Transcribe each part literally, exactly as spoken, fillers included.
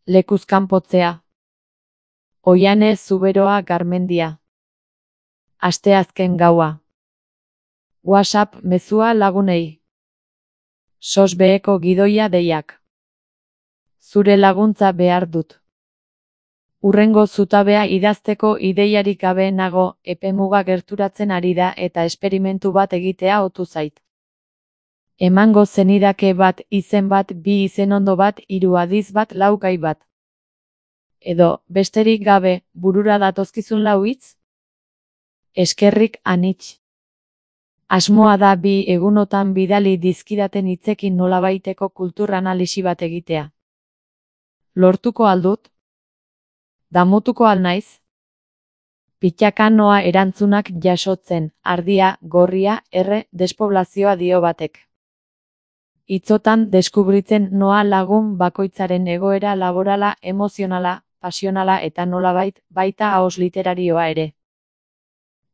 Lekuz kanpotzea. Oiane Zuberoa Garmendia. Asteazken gaua. WhatsApp mezua lagunei. Sos beheko gidoia deiak. Zure laguntza behar dut. Urrengo zutabea idazteko ideiarik gabe nago, epemuga gerturatzen ari da eta esperimentu bat egitea otu zait. Emango zenidake bat, izen bat, bi izenondo bat, hiru adiz bat, lau gai bat. Edo, besterik gabe, burura datozkizun lau hitz? Eskerrik anitz. Asmoa da bi egunotan bidali dizkidaten hitzekin nolabaiteko kultur analisi bat egitea. Lortuko aldut? Damutuko al naiz? Pitxaka noa erantzunak jasotzen, ardia, gorria, erre, despoblazioa dio batek. Hitzotan deskubritzen noa lagun bakoitzaren egoera laborala, emozionala, pasionala eta nolabait, baita ahoz literarioa ere.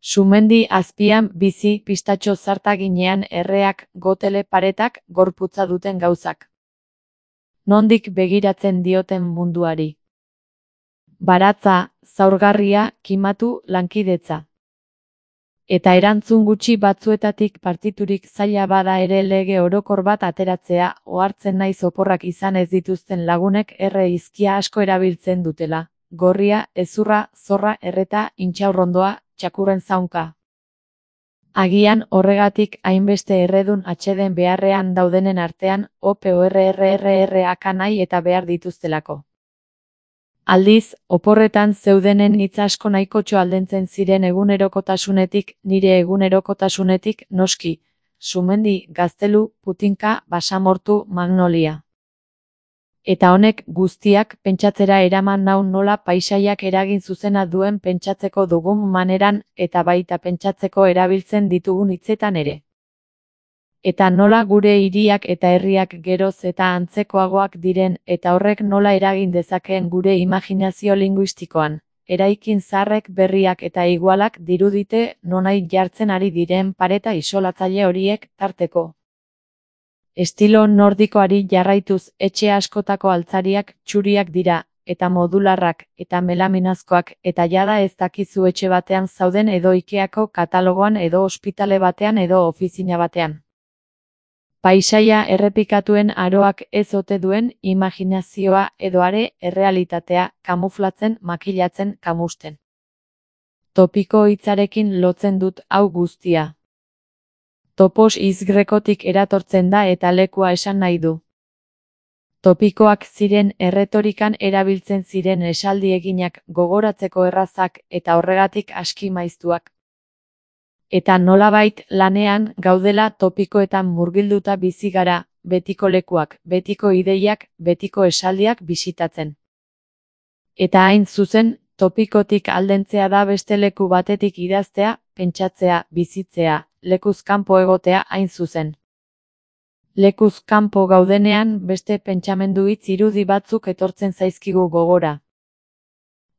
Sumendi azpian bizi pistatxo zartaginean erreak, gotele paretak, gorputza duten gauzak. Nondik begiratzen dioten munduari. Baratza, zaurgarria, kimatu, lankidetza. Eta erantzun gutxi batzuetatik partiturik zaila bada ere lege orokor bat ateratzea, ohartzen naiz oporrak izan ez dituzten lagunek erre hizkia asko erabiltzen dutela. Gorria, hezurra, zorra, erreta, intxaurrondoa, txakurren zaunka. Agian horregatik hainbeste erredun atxeden beharrean daudenen artean, oporrrrrrak nahi eta behar dituztelako. Aldiz, oporretan zeudenen hitz asko nahikotxo aldentzen ziren egunerokotasunetik, nire egunerokotasunetik, noski, Sumendi, Gaztelu, Putinka, Basamortu, Magnolia. Eta honek guztiak pentsatzera eraman nau nola paisaiak eragin zuzena duen pentsatzeko dugun maneran eta baita pentsatzeko erabiltzen ditugun hitzetan ere. Eta nola gure hiriak eta herriak geroz eta antzekoagoak diren eta horrek nola eragin dezakeen gure imaginazio linguistikoan, eraikin zaharrek berriak eta igualak dirudite nonai jartzen ari diren pareta isolatzaile horiek tarteko. Estilo nordikoari jarraituz etxe askotako altzariak txuriak dira, eta modularrak, eta melaminazkoak, eta jada ez dakizu etxe batean zauden edo Ikeako katalogoan edo ospitale batean edo ofizina batean. Paisaia errepikatuen aroak ez ote duen imaginazioa edo are errealitatea kamuflatzen, makilatzen, kamusten. Topiko hitzarekin lotzen dut hau guztia. Topos hitz grekotik eratortzen da eta lekua esan nahi du. Topikoak ziren erretorikan erabiltzen ziren esaldi eginak gogoratzeko errazak eta horregatik aski maiztuak. Eta nolabait lanean gaudela topikoetan murgilduta bizi gara, betiko lekuak, betiko ideiak, betiko esaldiak bisitatzen. Eta hain zuzen, topikotik aldentzea da beste leku batetik idaztea, pentsatzea, bizitzea, lekuz kanpo egotea hain zuzen. Lekuz kanpo gaudenean beste pentsamendu hitz irudi batzuk etortzen zaizkigu gogora.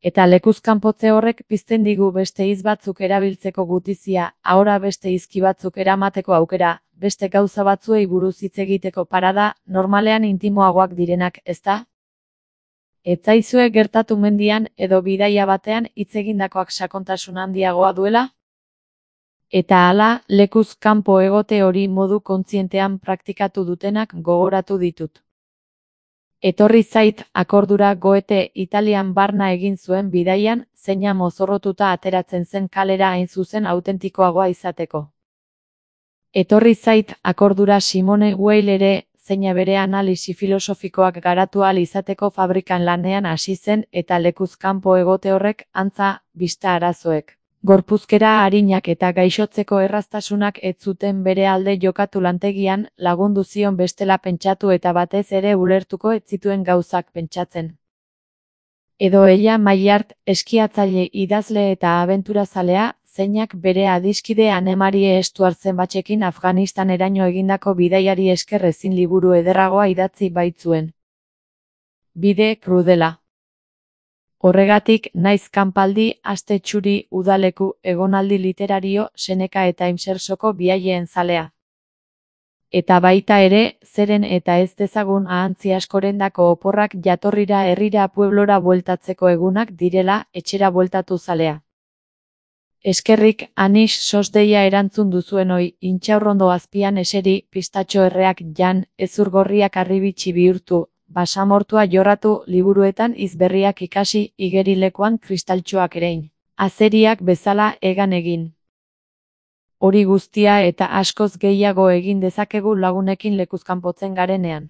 Eta lekuz kanpotze horrek pizten digu beste hitz batzuk erabiltzeko gutizia, ahora beste hizki batzuk eramateko aukera, beste gauza batzuei buruz hitz egiteko parada, normalean intimoagoak direnak, ezta? Ez zaizue gertatu mendian edo bidaia batean hitz egindakoak sakontasun handiagoa duela? Eta hala, lekuz kanpo egote hori modu kontzientean praktikatu dutenak gogoratu ditut. Etorri zait akordura Goethe Italian barna egin zuen bidaian, zeina mozorrotuta ateratzen zen kalera hain zuzen autentikoagoa izateko. Etorri zait akordura Simone Weil ere, zeina bere analisi filosofikoak garatu ahal izateko fabrikan lanean hasi zen eta lekuz kanpo egote horrek antza bista arazoek. Gorpuzkera arinak eta gaixotzeko erraztasunak ez zuten bere alde jokatu lantegian, lagundu zion bestela pentsatu eta batez ere ulertuko ez zituen gauzak pentsatzen. Edo ella Maillard, eskiatzaile idazle eta abenturazalea, zeinak bere adiskide Anne-Marie Stuartzen batxekin Afganistaneraino egindako bidaiari esker ezin liburu ederragoa idatzi baitzuen. Bide krudela. Horregatik, naiz kanpaldi, aste txuri, udaleku, egonaldi literario, Seneka eta Imsersoko biaileen zalea. Eta baita ere, zeren eta ez dezagun ahantzi askorendako oporrak jatorrira herrira pueblora bueltatzeko egunak direla, etxera bueltatu zalea. Eskerrik, Anis sos deia erantzun duzuenoi, intxaurrondo azpian eseri, pistatxo erreak jan, ezurgorriak arribitxi bihurtu, basamortua jorratu, liburuetan izberriak ikasi, igerilekoan kristaltxoak erein. Azeriak bezala egan egin. Hori guztia eta askoz gehiago egin dezakegu lagunekin lekuzkanpotzen garenean.